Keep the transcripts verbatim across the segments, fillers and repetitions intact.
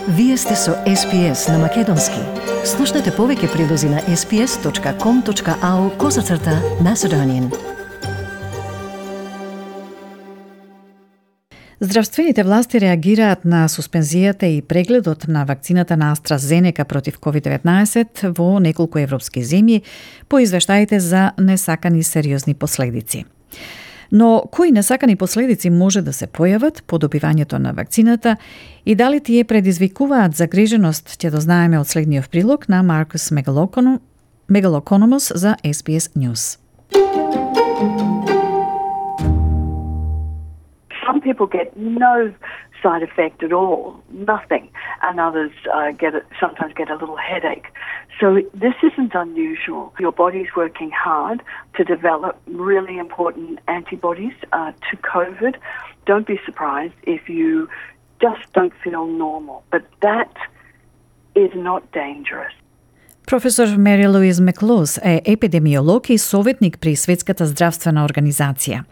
Вие сте со Ес Би Ес на Македонски. Слушнете повеќе прилози на ес би ес точка ком точка ау козацрта Macedonian. Здравствените власти реагираат на суспензијата и прегледот на вакцината на AstraZeneca против ковид деветнаесет во неколку европски земји по извештаите за несакани сериозни последици. Но кои несакани последици може да се појават по добивањето на вакцината и дали тие предизвикуваат загриженост, ќе дознаеме од следниот прилог на Маркус Мегалокономос за Ес Би Ес News. Some people get no side effect at all, nothing, and others uh, get it, sometimes get a little headache. So this isn't unusual. Your body's working hard to develop really important antibodies uh, to COVID. Don't be surprised if you just don't feel normal, but that is not dangerous. Професор Мери Луиз Меклоз е епидемиолог и советник при Светската здравствена организација.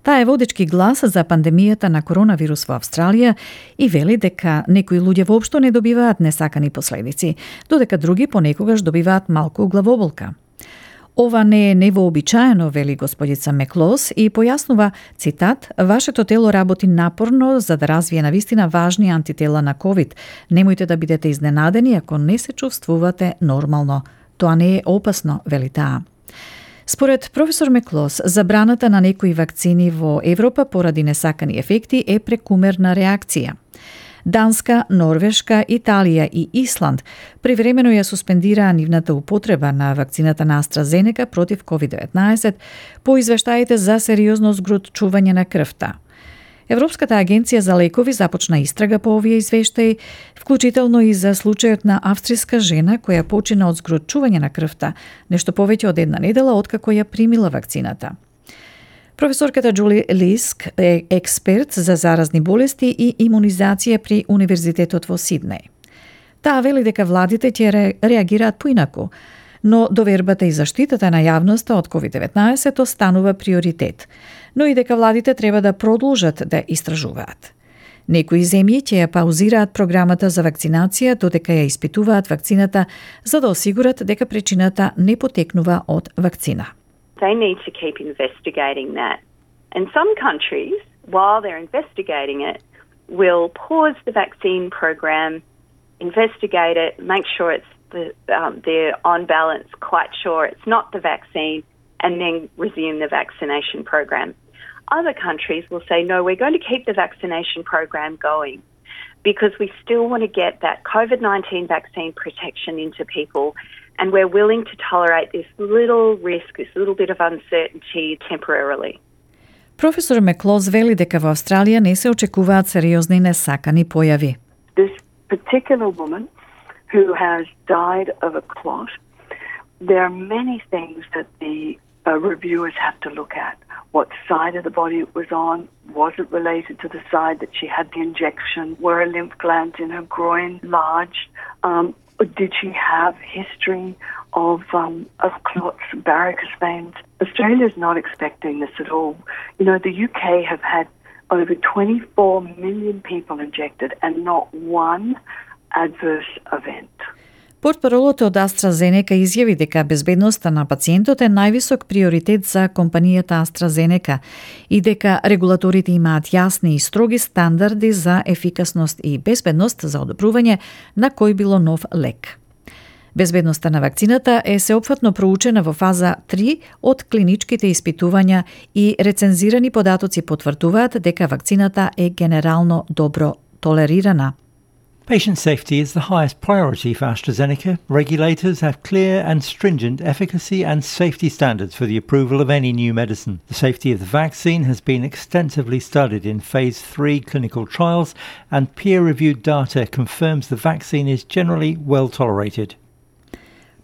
Таа е водечки глас за пандемијата на коронавирус во Австралија и вели дека некои луѓе воопшто не добиваат несакани последици, додека други понекогаш добиваат малку главоболка. Ова не е невообичаено, вели господица Меклоз и појаснува, цитат, вашето тело работи напорно за да развие навистина важни антитела на ковид. Немојте да бидете изненадени ако не се чувствувате нормално. Тоа не е опасно, вели таа. Според професор Меклоз, забраната на некои вакцини во Европа поради несакани ефекти е прекумерна реакција. Данска, Норвешка, Италија и Исланд привремено ја суспендираа нивната употреба на вакцината на AstraZeneca против ковид деветнаесет по извештаите за сериозно згротчување на крвта. Европската агенција за лекови започна истрага по овие извештаи, вклучително и за случајот на австријска жена која почина од згротчување на крвта, нешто повеќе од една недела откако ја примила вакцината. Професорката Джули Лиск е експерт за заразни болести и имунизација при Универзитетот во Сиднеј. Таа вели дека владите ќе реагираат поинаку, но довербата и заштитата на јавноста од ковид деветнаесет останува приоритет, но и дека владите треба да продолжат да истражуваат. Некои земји ќе ја паузираат програмата за вакцинација додека ја испитуваат вакцината за да осигурат дека причината не потекнува од вакцина. They need to keep investigating that. And some countries, while they're investigating it, will pause the vaccine program, investigate it, make sure it's the, um, they're on balance, quite sure it's not the vaccine, and then resume the vaccination program. Other countries will say, no, we're going to keep the vaccination program going because we still want to get that COVID nineteen vaccine protection into people, and we're willing to tolerate this little risk, this little bit of uncertainty temporarily. Професор Меклоз вели дека во Австралија не се очекуваат сериозни несакани појави. This particular woman who has died of a clot, there are many things that the uh, reviewers have to look at. What side of the body it was on? Was it related to the side that she had the injection? Were her lymph glands in her groin large? Um, did she have history of um, of clots, varicose veins? Australia's not expecting this at all. You know, the U K have had over twenty-four million people injected and not one adverse event. Портпаролот од AstraZeneca изјави дека безбедноста на пациентот е највисок приоритет за компанијата AstraZeneca и дека регулаторите имаат јасни и строги стандарди за ефикасност и безбедност за одобрување на кој било нов лек. Безбедноста на вакцината е сеопфатно проучена во фаза три од клиничките испитувања и рецензирани податоци потврдуваат дека вакцината е генерално добро толерирана. Patient safety is the highest priority for AstraZeneca. Regulators have clear and stringent efficacy and safety standards for the approval of any new medicine. The safety of the vaccine has been extensively studied in phase three clinical trials, and peer-reviewed data confirms the vaccine is generally well tolerated.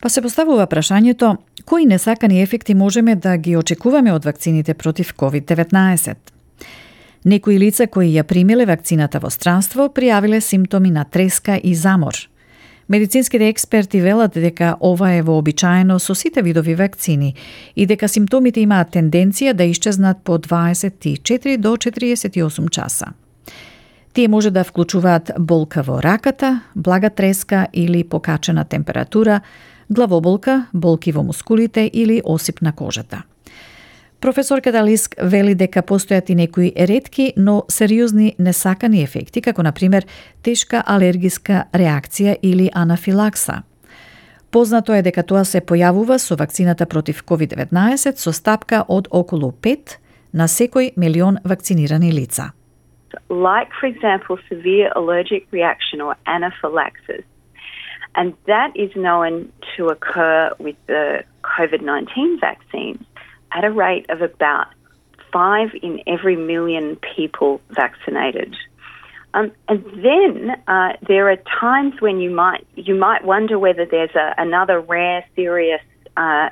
Па се поставува прашањето, кои несакани ефекти можеме да ги очекуваме од вакцините против ковид деветнаесет? Некои лица кои ја примиле вакцината во странство пријавиле симптоми на треска и замор. Медицинските експерти велат дека ова е вообичаено со сите видови вакцини и дека симптомите имаат тенденција да исчезнат по дваесет и четири до четириесет и осум часа. Тие може да вклучуваат болка во раката, блага треска или покачена температура, главоболка, болки во мускулите или осип на кожата. Професорката Лиск вели дека постојат и некои ретки, но сериозни несакани ефекти, како например тешка алергиска реакција или анафилакса. Познато е дека тоа се појавува со вакцината против ковид деветнаесет со стапка од околу пет на секој милион вакцинирани лица. Like, for example, severe allergic reaction or anaphylaxis. And that is known to occur with the COVID nineteen vaccines at a rate of about five in every million people vaccinated. Um, and then uh, there are times when you might you might wonder whether there's a, another rare, serious uh,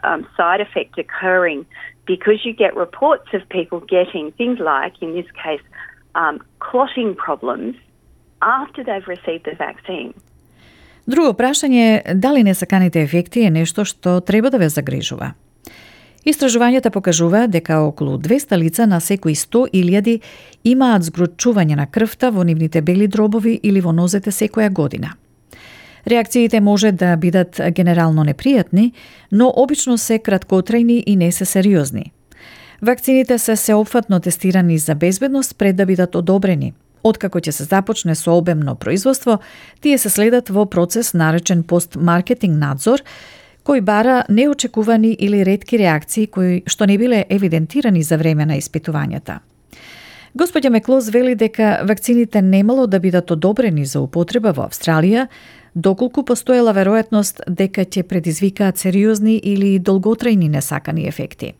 um, side effect occurring, because you get reports of people getting things like, in this case, um, clotting problems after they've received the vaccine. Друго прашање е дали несаканите ефекти е нешто што треба да ве загрижува. Истражувањата покажуваат дека околу двеста лица на секои сто илјади имаат згручување на крвта во нивните бели дробови или во нозете секоја година. Реакциите може да бидат генерално непријатни, но обично се краткотрајни и не се сериозни. Вакцините се сеопфатно тестирани за безбедност пред да бидат одобрени. Откако ќе се започне со обемно производство, тие се следат во процес наречен постмаркетинг надзор, кој бара неочекувани или ретки реакции кои што не биле евидентирани за време на испитувањата. Господја Меклоз вели дека вакцините немало да бидат одобрени за употреба во Австралија, доколку постоела веројатност дека ќе предизвикаат сериозни или долготрајни несакани ефекти.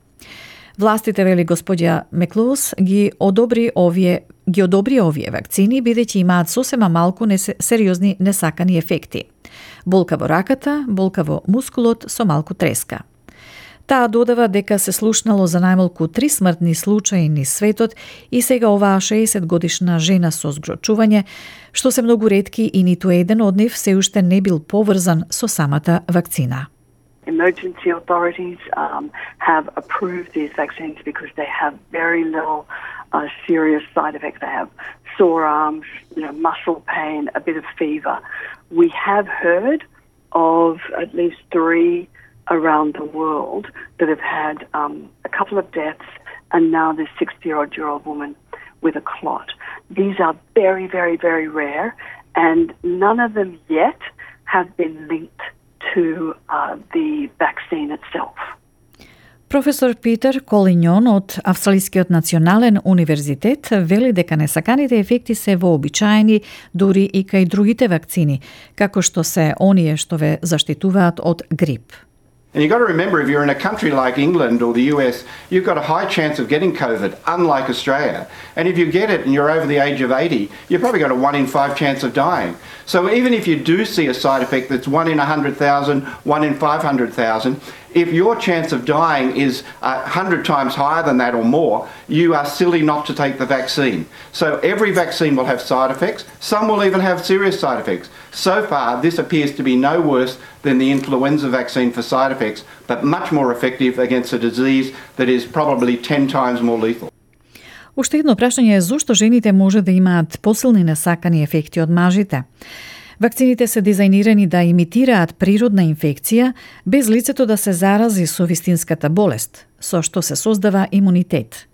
Властите, вели господја Меклоз, ги одобри овие ги одобри овие вакцини бидејќи имаат сосема малку несе, сериозни несакани ефекти. Болка во раката, болка во мускулот со малку треска. Таа додава дека се слушнало за најмалку три смртни случаи низ светот и сега оваа шеесет годишна жена со згрочување, што се многу ретки и ниту еден од нив се уште не бил поврзан со самата вакцина. Emergency authorities um, have approved these vaccines because they have very little uh, serious side effects. They have sore arms, you know, muscle pain, a bit of fever. We have heard of at least three around the world that have had um, a couple of deaths, and now this sixty-odd-year-old woman with a clot. These are very, very, very rare, and none of them yet have been linked to uh, the vaccine itself. Професор Питер Колинјон од Австралискиот национален универзитет вели дека несаканите ефекти се вообичаени дури и кај другите вакцини, како што се оние што ве заштитуваат од грип. And you've got to remember, if you're in a country like England or the U S, you've got a high chance of getting COVID, unlike Australia. And if you get it and you're over the age of eighty, you've probably got a one in five chance of dying. So even if you do see a side effect that's one in one hundred thousand, one in five hundred thousand, if your chance of dying is one hundred times higher than that or more, you are silly not to take the vaccine. So every vaccine will have side effects. Some will even have serious side effects. So far, this appears to be no worse than the influenza vaccine for side effects, but much more effective against a disease that is probably ten times more lethal. Уште едно прашање е зошто жените може да имаат посилни несакани ефекти од мажите. Вакцините се дизајнирани да имитираат природна инфекција без лицето да се зарази со вистинската болест, со што се создава имунитет.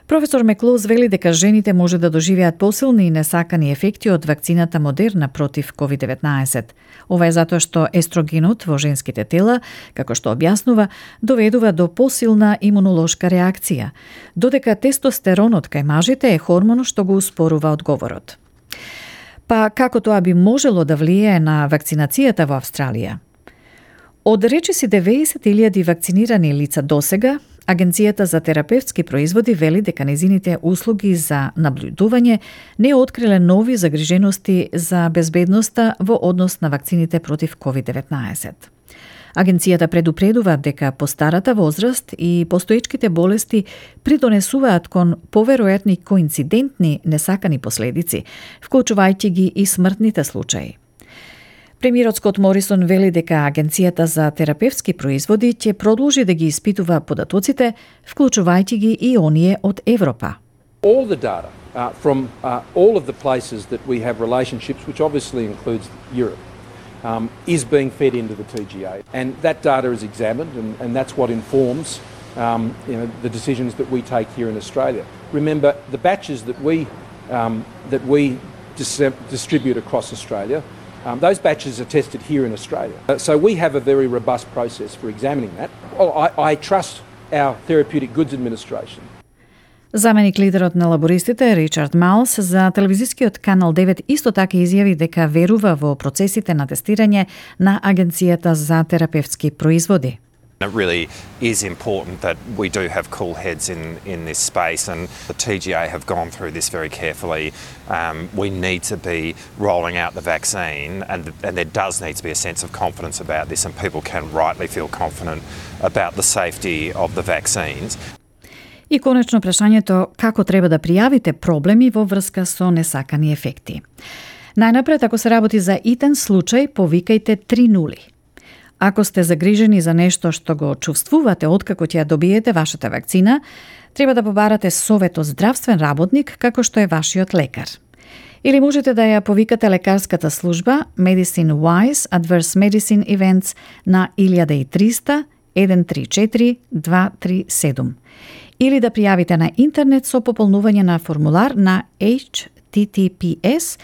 Професор Меклоз вели дека жените може да доживеат посилни и несакани ефекти од вакцината Модерна против ковид деветнаесет. Ова е затоа што естрогенот во женските тела, како што објаснува, доведува до посилна имунолошка реакција, додека тестостеронот кај мажите е хормон што го успорува одговорот. Па како тоа би можело да влијае на вакцинацијата во Австралија? Од речиси деветдесет илјади вакцинирани лица досега, Агенцијата за терапевтски производи вели дека незините услуги за наблюдување не откриле нови загрижености за безбедноста во однос на вакцините против ковид деветнаесет. Агенцијата предупредува дека постарата возраст и постоечките болести придонесуваат кон поверојатни коинцидентни несакани последици, вклучувајќи ги и смртните случаи. Премиерот Скот Морисон вели дека Агенцијата за терапевтски производи ќе продолжи да ги испитува податоците, вклучувајќи ги и оние од Европа. All the data uh, from uh, all of the places that we have relationships, which obviously includes Europe, um, is being fed into the T G A. And that data is examined, and, and that's what informs um, you know, the decisions that we take here in Australia. Remember, the batches that we, um, that we dis- distribute across Australia, Um, those batches are tested here in Australia. Uh, so we have a very robust process for examining that. Well, I, I trust our Therapeutic Goods Administration. Заменик лидерот на лабористите Ричард Малс за телевизискиот канал девет исто така изјави дека верува во процесите на тестирање на Агенцијата за терапевтски производи. It really is important that we do have cool heads in, in this space, and the T G A have gone through this very carefully. Um, we need to be rolling out the vaccine, and, and there does need to be a sense of confidence about this, and people can rightly feel confident about the safety of the vaccines. И конечно прашањето како треба да пријавите проблеми во врска со несакани ефекти. Најнапред, ако се работи за итен случај, повикајте три нули. Ако сте загрижени за нешто што го чувствувате откако ќе ја добиете вашата вакцина, треба да побарате совет од здравствен работник како што е вашиот лекар. Или можете да ја повикате лекарската служба Medicine Wise Adverse Medicine Events на илјада и триста еден три четири два три седум. Или да пријавите на интернет со пополнување на формулар на H T T P S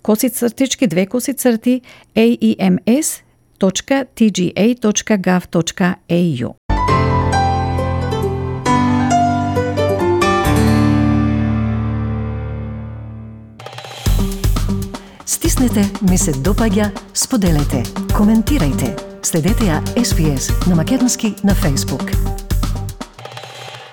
косицртички две косицрти A E M S точка T G A точка gov точка A U. Стиснете, ми се допаѓа, споделете, коментирајте. Следете ја С Б С на македонски на Facebook.